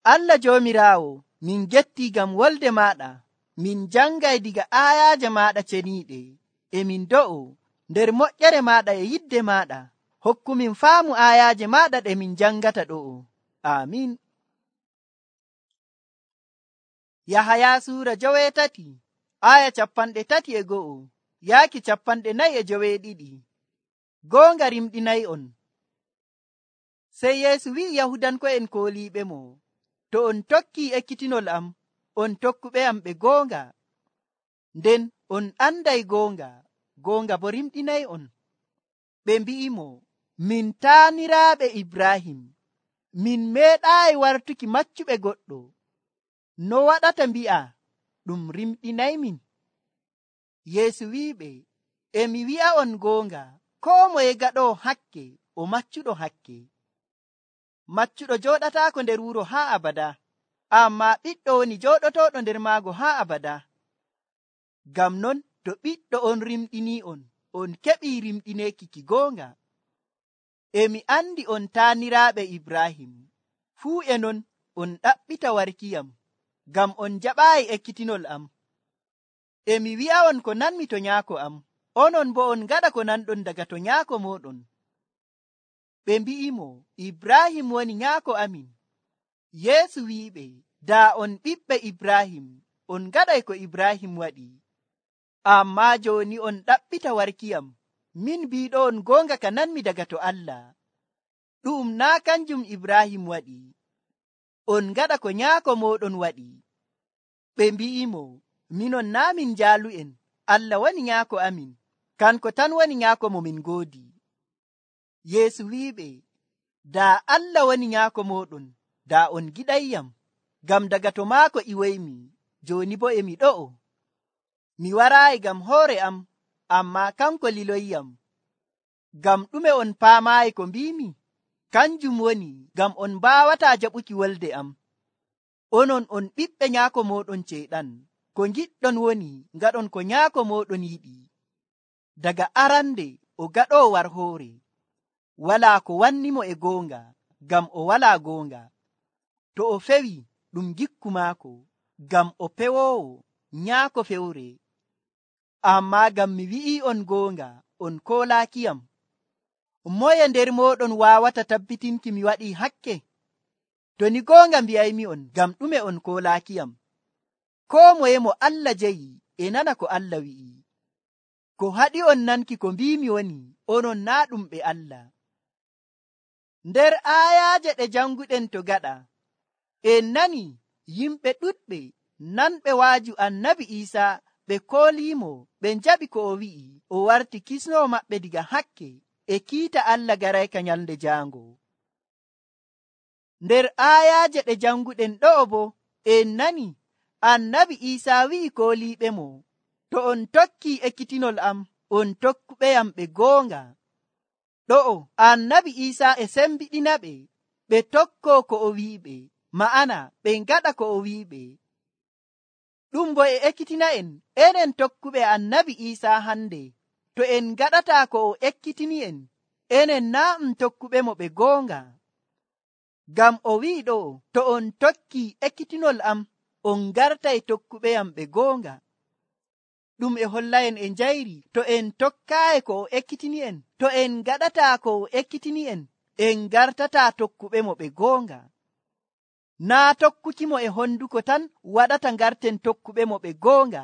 Allah Joomiraawo, min gettii ngam wolde maaɗa. Min jangay diga aayaaje maaɗa ceniiɗe, e min do'o nder moƴƴere maaɗa e yidde maaɗa. Hokkumin faamu aayaaje maaɗa ɗe min jangata ɗo'o. Aamin. Yahaya suura 3 aya 31 yaaki 42. Goonga rimɗinay'on. Sey Yeesu wi'i Yahudanko'en kooliiɓe mo, to on tokkii ekkitinol am, on tokkuɓe am ɓe goonga. Nden on anday goonga, goonga bo rimɗinay'on. Ɓe mbi'i mo, min taaniraaɓe Ibrahim, min meeɗaayi wartuki maccuɓe goɗɗo. No waɗata mbi'a ɗum rimɗinaymin? Yeesu wi'iɓe, e mi wi'a'on goonga, koo moye gaɗoowo hakke o maccuɗo hakke. Maccuɗo jooɗataako nder wuro haa abada, ammaa ɓiɗɗo woni jooɗotooɗo nder maago haa abada. Ngam non to ɓiɗɗo on rimɗinii'on, on keɓii rimɗineeki ki goonga. E mi andi on taaniraaɓe Ibrahim, fuu e non on ɗaɓɓita warkiyam, ngam on jaɓaayi ekkitinol am. E mi wi'a'on ko nanmi to nyaako am, onon bo on ngaɗa ko nanɗon daga to nyaako mooɗon. Ɓe mbi'i mo, Ibrahim woni nyaako amin. Yeesu wi'iɓe, daa on ɓiɓɓe Ibrahim, on ngaɗay ko Ibrahim waɗi. Ammaa jooni on ɗaɓɓita warkiyam, min biiɗo on goonga ka nanmi daga to Allah. Ɗum naa kanjum Ibrahim waɗi. On ngaɗa ko nyaako mooɗon waɗi. Ɓe mbi'i mo, minon naa min jaalu'en, Allah woni nyaako amin, kanko tan woni nyaako mo min ngoodi. Yeesu wi'iɓe, daa Allah woni nyaako mooɗon, daa on giɗayyam, ngam daga to maako iwoymi, jooni bo e mi ɗo'o. Mi waraayi ngam hoore am, ammaa kanko liloyyam. Ngam ɗume on paamaayi ko mbiimi? Kanjum woni ngam on mbaawataa jaɓuki wolde am. Onon on ɓiɓɓe nyaako mooɗon Ceyɗan. Ko ngiɗɗon woni ngaɗon ko nyaako mooɗon yiɗi. Daga arande o gaɗoo war hoore. Walaa ko wannimo e goonga, ngam o walaa goonga. To o fewi ɗum gikku maako, ngam o pewoowo nyaako fewre. Ammaa ngam mi wi'i on goonga, on koolaakiyam. Moye nder mooɗon waawata tabbitinki mi waɗii hakke? To ni goonga mbi'aymi on, ngam ɗume on koolaakiyam? Koo moye mo Allah jeyi e nana ko Allah wi'i. Ko haɗi on nanki ko mbiimi woni, onon naa ɗum ɓe Allah. Nder aayaaje ɗe janguɗen to gaɗa, en nani yimɓe ɗuɗɓe nanɓe waaju annabi Iisaa ɓe kooliimo, ɓe njaɓi ko o wi'i, o warti kisnoo maɓɓe diga hakke e kiita Allah garayka nyalnde jaango. Nder aayaaje ɗe janguɗen ɗo'o bo, en nani annabi Iisaa wi'i kooliiɓe mo, to on tokkii ekkitinol am, on tokkuɓeyam ɓe goonga. Ɗo'o annabi Iisaa e sembiɗina ɓe tokkoo ko o wi'iɓe, ma'ana ɓe ngaɗa ko o wi'iɓe. Ɗum bo e ekkitina enen tokkuɓe annabi Iisaa hande, to en ngaɗataa ko o ekkitini enen naa tokkuɓe mo ɓe goonga. Ngam o wi'i ɗo, to on tokkii ekkitinol am, on ngartay tokkuɓeyam ɓe goonga. Ɗum e hollaen e njayri, to en tokkaayi ko o ekkitini to en ngaɗataa ko o ekkitini en ngartataa tokkuɓe mo ɓe goonga. Naa tokkuki mo e honduko tan waɗata ngarten tokkuɓe mo ɓe goonga,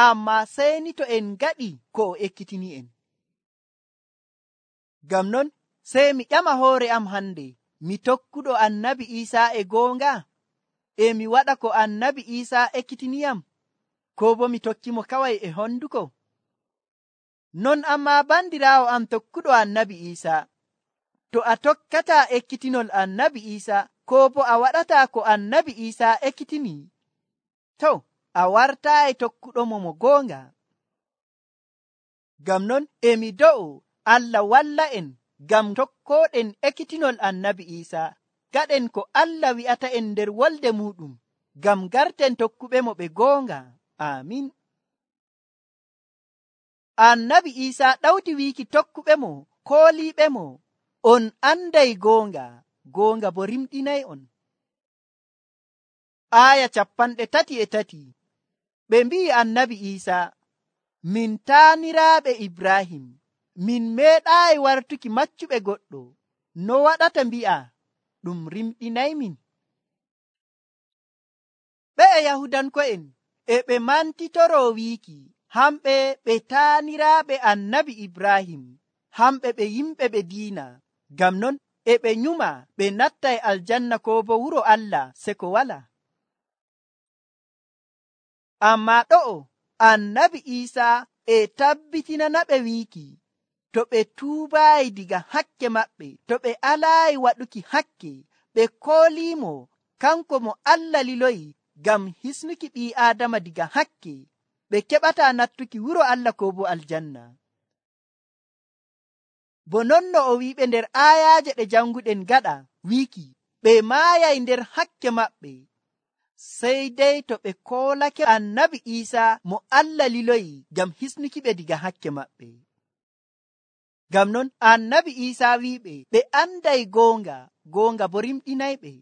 ammaa sey ni to en ngaɗi ko o ekkitini en. Ngam non sey mi ƴama hoore am hande, mi tokkuɗo annabi Iisaa e goonga? E mi waɗa ko annabi Iisaa ekkitiniyam? Ko bo mi tokki mo kawai e honduko? Non ammaa bandiraawo am tokkuɗo annabi Iisaa, to a tokkataa ekkitinol annabi Iisaa, ko bo a waɗataa ko annabi Iisaa ekkitini, to a wartaayi tokkuɗo mo goonga. Ngam non e mi do'o Allah walla en ngam tokkooɗen ekkitinol annabi Iisaa, gaɗen ko Allah wi'ata en nder wolde muɗum, ngam garten tokkuɓe mo ɓe goonga. Amin. Annabi Iisaa ɗawti wiiki tokkuɓe mo, kooliiɓe mo, on anday goonga, goonga bo rimɗinay on. aya 33. Ɓe mbi'i annabi Iisaa, min taaniraaɓe Ibrahim, min meeɗaayi wartuki maccuɓe goɗɗo. No waɗata mbi'a ɗum rimɗinaymin? Ɓe Yahudanko'en e ɓe mantitoroo wiiki hamɓe ɓe taaniraaɓe annabi Ibrahim, hamɓe ɓe yimɓe ɓe diina. Ngam non e ɓe nyuma ɓe nattay aljanna ko bo wuro Allah seko wala. Ammaa ɗo'o annabi Iisaa e tabbitinana ɓe wiiki to ɓe tuubaayi diga hakke maɓɓe, to ɓe alaayi waɗuki hakke, ɓe kooliimo kanko mo Allah liloyi ngam hisnuki ɓii Aadama diga hakke, ɓe keɓataa nattuki wuro Allah ko bo aljanna. Bo non no o wi'iɓe nder aayaaje ɗe janguɗen gaɗa wiiki ɓe maayay nder hakke maɓɓe, sey dai to ɓe koolake annabi Iisaa mo Allah liloyi ngam hisnuki ɓe diga hakke maɓɓe. Ngam non annabi Iisaa wi'iɓe ɓe anday goonga, goonga bo rimɗinayɓe.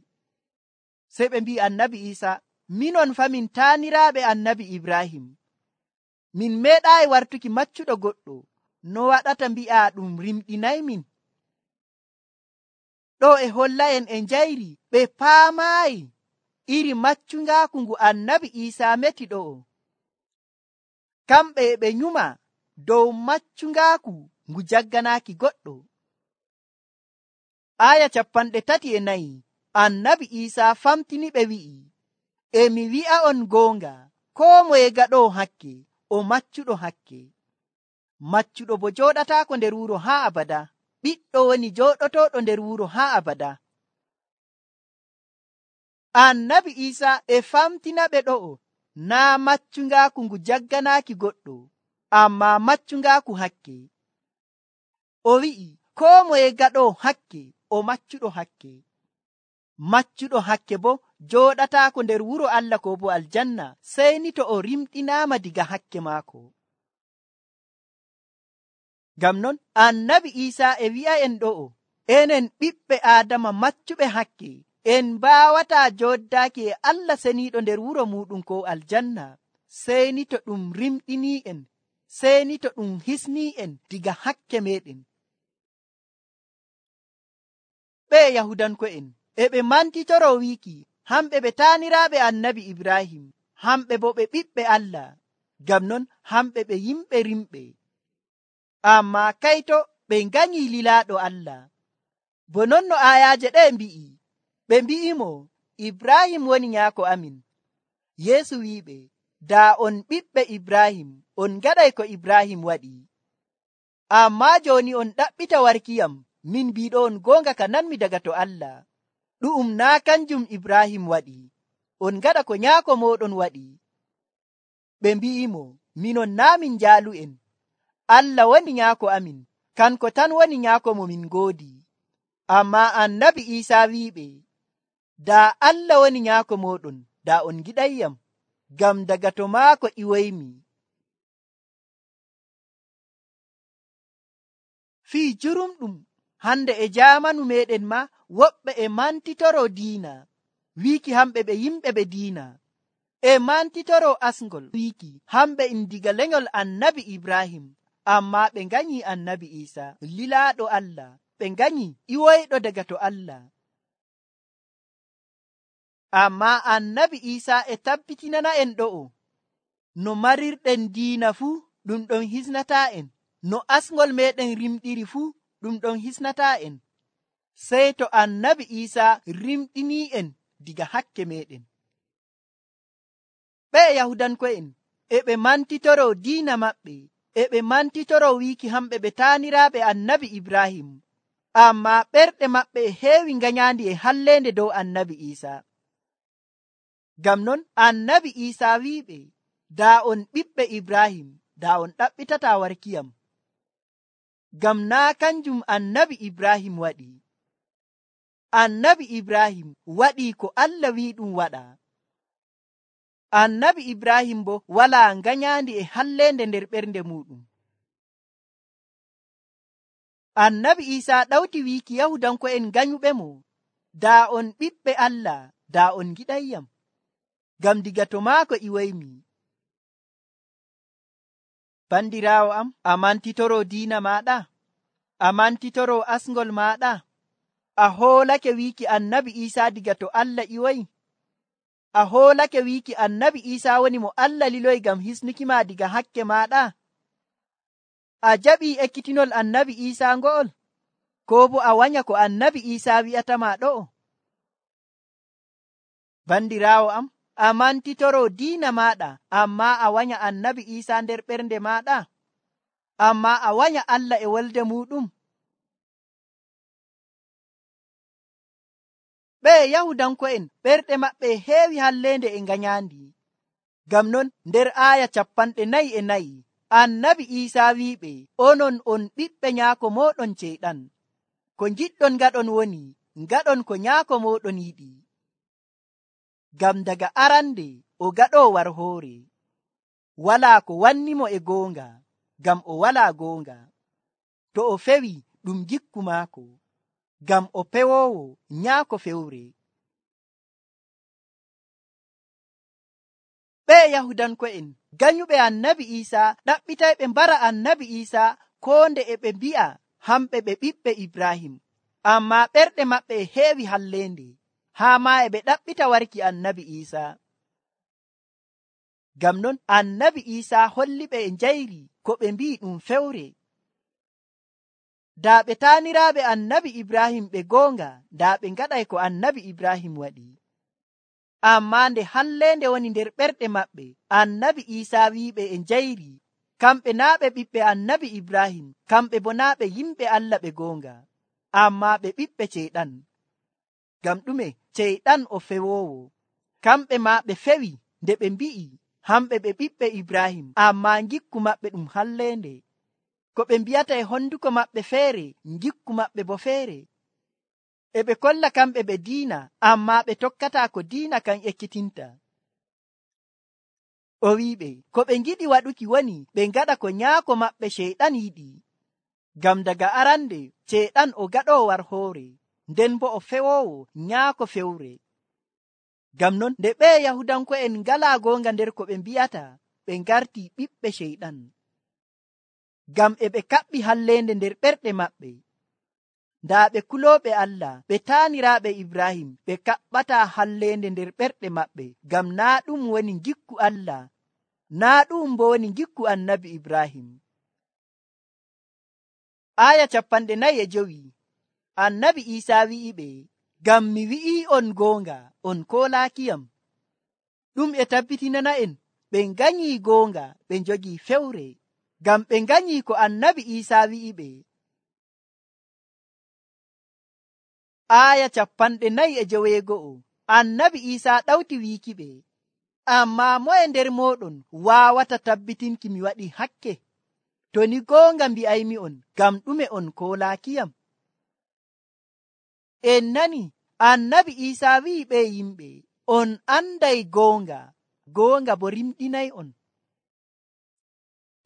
Sey ɓe mbi'i annabi Iisaa, minon fa min taaniraaɓe annabi Ibrahim, min meeɗaayi wartuki maccuɗo goɗɗo. No waɗata mbi'a ɗum rimɗinaymin? Ɗo e holla'en e njayri ɓe paamaayi iri maccungaaku ngu annabi Iisaa meti ɗo'o. Kamɓe ɓe nyuma dow maccungaaku ngu jagganaaki goɗɗo. Aya 34 annabi Iisaa famtini ɓe wi'i, e mi wi'a'on goonga, koo moye gaɗoo hakke o maccuɗo hakke. Maccuɗo bo jooɗataako nder wuro haa abada, ɓiɗɗo woni jooɗotooɗo nder wuro haa abada. Annabi Iisaa e famtina ɓe ɗo'o naa maccungaaku ngu jagganaaki goɗɗo, ammaa maccungaaku hakke. O wi'i koo moye gaɗoo hakke o maccuɗo hakke. Maccuɗo hakke bo jooɗataako nder wuro Allah ko bo aljanna, sey ni to o rimɗinaama diga hakke maako. Ngam non annabi Iisaa e wi'a'en ɗo'o, enen ɓiɓɓe Aadama maccuɓe hakke en mbaawataa jooddaaki e Allah seniiɗo nder wuro muɗum ko aljanna, sey ni to ɗum rimɗinii'en, sey ni to ɗum hisnii'en diga hakke meɗen. Ɓe Yahudanko'en e ɓe mantitoroo wiiki hamɓe ɓe taaniraaɓe annabi Ibrahim, hamɓe bo ɓe ɓiɓɓe Allah, ngam non hamɓe ɓe yimɓe rimɓe. Ammaa kayto ɓe nganyii lilaaɗo Allah. Bo non no aayaaje ɗe mbi'i, ɓe mbi'imo Ibrahim woni nyaako amin. Yeesu wi'iɓe, daa on ɓiɓɓe Ibrahim, on ngaɗay ko Ibrahim waɗi. Ammaa jooni on ɗaɓɓita warkiyam, min mbiiɗo on goonga ka nanmi daga to Allah. Ɗu'um naa kanjum Ibrahim waɗi, on ngaɗa ko nyaako mooɗon waɗi. Ɓe mbi'imo, minon naa min njaalu'en. Allah woni nyaako amin, kanko tan woni nyaako mo min ngoodi. Ammaa annabi Iisaa wi'iɓe, daa Allah woni nyaako mooɗon, daa on giɗayyam, ngam daga to maako iwoymi. Fii jurumɗum hande e jaamanu meɗen ma woɓɓe e mantitoro diina, wiiki hamɓe ɓe yimɓe ɓe diina, e mantitoro asngol wiiki hamɓe diga lenyol annabi Ibrahim, amma ɓe nganyi annabi Iisaa lilaaɗo Allah, ɓe nganyi iwoyɗo daga to Allah. Amma annabi Iisaa e tabbitinana en ɗo'o, no marirɗen diina fuu ɗum ɗon hisnataa en, no asngol meɗen rimɗiri fuu ɗum ɗon hisnataa en, sey to annabi Iisaa rimɗinii en diga hakke meɗen. Ɓe Yahudanko'en e ɓe mantitoro diina maɓɓe, e ɓe mantitoro wiiki hamɓe ɓe taaniraaɓe annabi Ibrahim, amma ɓerɗe maɓɓe e heewi nganyandi e halleende dow annabi Iisaa. Ngam non annabi Iisaa wi'iɓe, daa on ɓiɓɓe Ibrahim, daa on ɗaɓɓitataa warkiyam. Ngam naa kanjum annabi Ibrahim waɗi. Annabi Ibrahim waɗii ko Allah wi'i ɗum waɗa. Annabi Ibrahim bo walaa nganyandi e halleende nder ɓernde muɗum. Annabi Iisaa ɗawti wiiki Yahudanko'en nganyuɓe mo, daa on ɓiɓɓe Allah, daa on giɗayyam. ngam diga to maako iwoymi. Bandiraawo am, a mantitoro diina maɗa? A mantitoro asngol maɗa? A hoolake wiiki annabi Iisaa diga to Allah iwoyi? A hoolake wiiki annabi Iisaa woni mo Allah liloyi ngam hisnukima diga hakke maɗa? A jaɓii ekkitinol annabi Iisaa ngo'ol? Koo bo a wanya ko annabi Iisaa wi'atama ɗo'o? Bandiraawo am, a mantitoro diina maɗa, amma a wanya annabi Iisaa nder ɓernde maɗa? Amma a wanya Allah e wolde muɗum? Ɓe Yahudanko'en ɓerɗe maɓɓe heewi hallende e nganyandi. Ngam non nder aaya 44 annabi Iisaa wi'iɓe, onon on ɓiɓɓe nyaako moɗon Ceyɗan. Ko ngiɗɗon ngaɗon woni ngaɗon ko nyaako moɗon yiɗi. Ngam daga arande o gaɗoo war hoore. Walaa ko wannimo e goonga, ngam o walaa goonga. To o fewi ɗum gikku maako, ngam o pewoowo nyaako fewre. Ɓe Yahudanko'en ganyuɓe annabi Iisaa ɗaɓɓitay ɓe mbara annabi Iisaa koo nde e ɓe mbi'a hamɓe ɓe ɓiɓɓe Ibrahim. Amma ɓerɗe maɓɓe e heewi hallende, haa ma e ɓe ɗaɓɓita warki annabi Iisaa. Ngam non annabi Iisaa holli ɓe e njayri ko ɓe mbi'i ɗum fewre. Daa ɓe taaniraaɓe annabi Ibrahim ɓe goonga, daa ɓe ngaɗay ko annabi Ibrahim waɗi. Amma nde hallende woni nder ɓerɗe maɓɓe, annabi Iisaa wi'iɓe e njayri kamɓe naa ɓe ɓiɓɓe annabi Ibrahim, kamɓe bo naa ɓe yimɓe Allah ɓe goonga, amma ɓe ɓiɓɓe Ceyɗan. Ngam ɗume? Ceyɗan o fewoowo. Kamɓe ma ɓe fewi nde ɓe mbi'i hamɓe ɓe ɓiɓɓe Ibrahim, amma ngikku maɓɓe ɗum hallende. Ko ɓe mbi'ata e honduko maɓɓe feere, ngikku maɓɓe bo feere. E ɓe kolla kamɓe ɓe diina, amma ɓe tokkata ko diina kan ekkitinta. O wi'iɓe ko ɓe ngiɗi waɗuki woni ɓe ngaɗa ko nyaako maɓɓe Ceyɗan yiɗi. Ngam daga arande Ceyɗan o gaɗoo war hoore, nden bo o fewoowo nyaako fewre. Ngam non nde ɓe Yahudanko'en ngalaa goonga nder ko ɓe mbi'ata, ɓe ngarti ɓiɓɓe Ceyɗan. Ngam e ɓe kaɓɓi hallende nder ɓerɗe maɓɓe. Ndaa ɓe kulooɓe Allah, ɓe taaniraaɓe Ibrahim, ɓe kaɓɓata hallende nder ɓerɗe maɓɓe, ngam naa ɗum woni ngikku Allah, naa ɗum bo woni ngikku annabi Ibrahim. Aaya 45 annabi Iisaa wi'iɓe, ngam mi wi'ii on goonga, on koolaakiyam. Ɗum e tabbitinana'en ɓe nganyii goonga, ɓe njogii fewre, ngam ɓe nganyii ko annabi Iisaa wi'iɓe. Aaya 49 annabi Iisaa ɗawti wiikiɓe, amma moye nder mooɗon waawata tabbitinki mi waɗi hakke? To ni goonga mbi'aymi'on, ngam ɗume on koolaakiyam? En nani annabi Iisaa wi'i ɓe yimɓe, on anday goonga, goonga bo rimɗinay'on.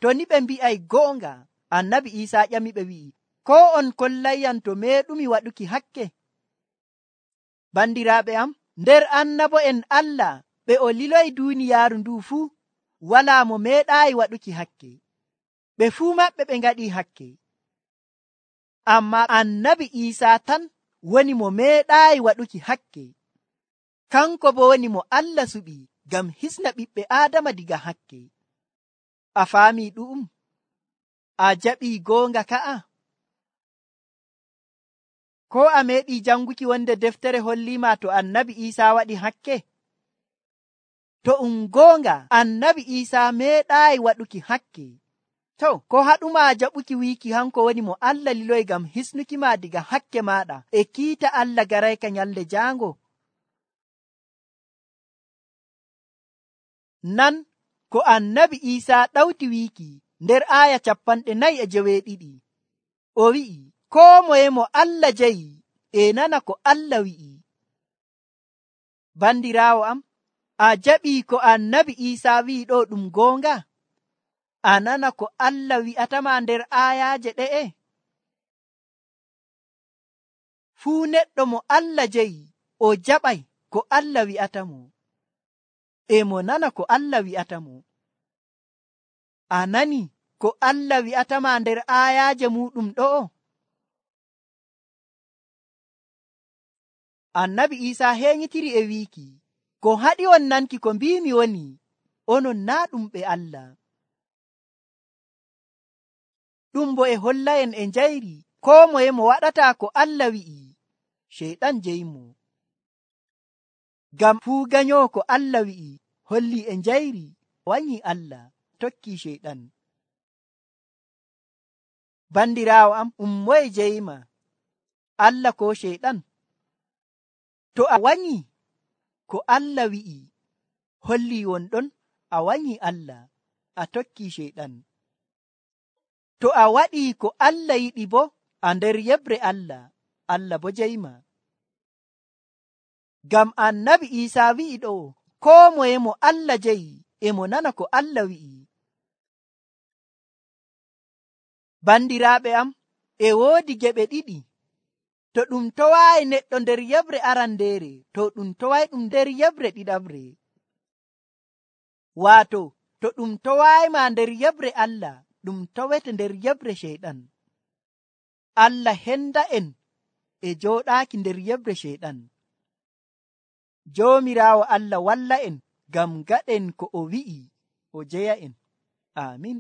To ni ɓe mbi'ay goonga, annabi Iisaa ƴamiɓe wi'i, ko on kollayyam to meeɗumi waɗuki hakke? Bandiraaɓe am, nder annabo'en Allah ɓe o liloyi duuniyaaru ndu fuu, walaa mo meeɗaayi waɗuki hakke. Ɓe fuu maɓɓe ɓe ngaɗii hakke. Amma annabi Iisaa tan woni mo meeɗaayi waɗuki hakke. Kanko bo woni mo Allah suɓi ngam hisna ɓiɓɓe Aadama diga hakke. A faamii ɗu'um? A jaɓii goonga ka'a? Ko a meeɗii janguki wonde deftere holliima to annabi Iisaa waɗi hakke? To goonga annabi Iisaa meeɗaayi waɗuki hakke. To, ko haɗuma jaɓuki wiiki hanko woni mo Allah liloyi ngam hisnuki ma diga hakke maɗa e kiita Allah garayka nyalde jaango? Nan ko annabi Iisaa ɗawti wiiki nder aaya 42. O wi'i, koo moye mo Allah jayi e nana ko Allah wi'i. Bandiraawo am, a jaɓii ko annabi Iisaa wi'i ɗo ɗum goonga? A nana ko Allah wi'atama nder aayaaje ɗe'e? Fuu neɗɗo mo Allah jayi o jaɓay ko Allah wi'atamo. e mo nana ko Allah wi'ata mo. A nani ko Allah wi'atama nder aayaaje muɗum ɗo'o? Annabi Iisaa henyitiri e wiiki, ko haɗi on nanki ko mbimi woni, onon naa ɗum ɓe Allah. Ɗum bo e holla'en e njayri koo moye mo waɗata ko Allah wi'i, Sheyɗan jeyimo. Ngam fuu ganyowo ko Allah wi'i holli e njayri wanyi Allah, tokki Sheyɗan. Bandiraawo am, moye jeyma, Allah ko Sheyɗan? To a wanyi ko Allah wi'i holli wonɗon a wanyi Allah, a tokki Sheyɗan. To a waɗi ko Allah yiɗi bo a nder yebre Allah, Allah bo jeyma. Ngam Annabi Iisaa wi'i ɗo, koo moye mo Allah jeyi e mo nana ko Allah wi'i. Bandiraaɓe am, e woodi geɓe ɗiɗi. To ɗum towaayi neɗɗo nder yebre arandeere, to ɗum toway ɗum nder yebre ɗiɗaɓre. Waato, to ɗum towayma nder yebre Allah, ɗum towete nder yebre Sheyɗan. Allah henda en e jooɗaaki nder yebre Sheyɗan. Joomiraawo Allah walla en ngam gaɗen ko o wi'i o jeya en. Amin.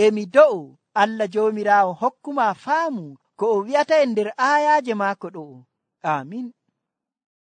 Emi do'o Allah Joomiraawo hokkuma faamu ko o wi'ata en nder aayaaje maako ɗo'o. Amin.